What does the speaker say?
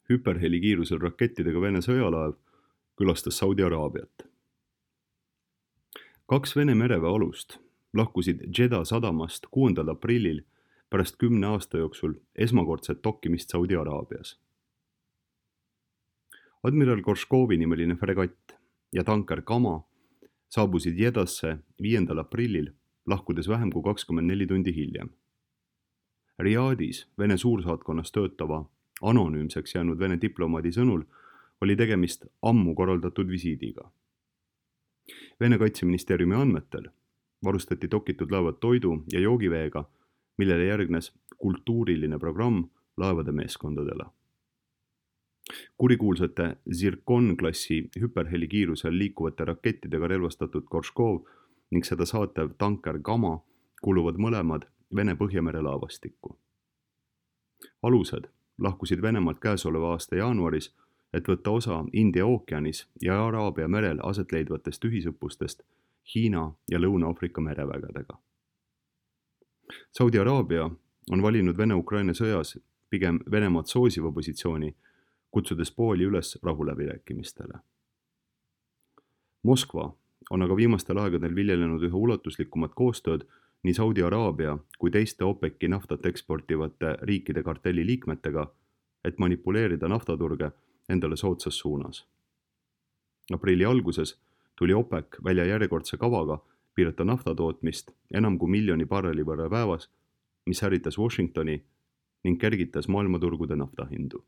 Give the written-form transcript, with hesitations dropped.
hüperhelikiirusel rakettidega Vene sõjalaev külastas Saudi Araabiat. 2 Vene mereväe alust lahkusid Jeddah sadamast 6. aprillil pärast 10 aasta jooksul esmakordset dokkimist Saudi Araabias. Admiral Gorškovi nimeline fregatt ja tanker Kama saabusid Jeddasse 5. aprillil, lahkudes vähem kui 24 tundi hiljem. Riadis Vene suursaatkonnas töötava anonüümseks jäänud Vene diplomaadi sõnul oli tegemist ammu korraldatud visiidiga. Vene kaitseministeeriumi andmetel varustati dokitud laevad toidu ja joogiveega, millele järgnes kultuuriline programm laevade meeskondadele. Kurikuulsate Zircon-klassi hüperhelikiirusel liikuvate rakettidega relvastatud Gorškov ning seda saatev tanker Kama kuuluvad mõlemad Vene Põhjamere laevastikku. Alused lahkusid Venemaalt käesoleva aasta jaanuaris, et võtta osa India ookeanis ja Araabia merel aset leidvatest ühisõppustest Hiina ja Lõuna-Aafrika merevägedega. Saudi Araabia on valinud Vene-Ukraina sõjas pigem Venemaad soosiva positsiooni, kutsudes pooli üles rahuläbirääkimistele. Moskva on aga viimastel aegadel viljelenud üha ulatuslikumat koostööd nii Saudi Araabia kui teiste OPEC-i naftat eksportivate riikide kartelli liikmetega, et manipuleerida naftaturge endale soodsas suunas. Aprilli alguses tuli OPEC välja järjekordse kavaga piirata naftatootmist enam kui 1 miljoni barreli võrra päevas, mis ärritas Washingtoni ning kergitas maailmaturgude naftahindu.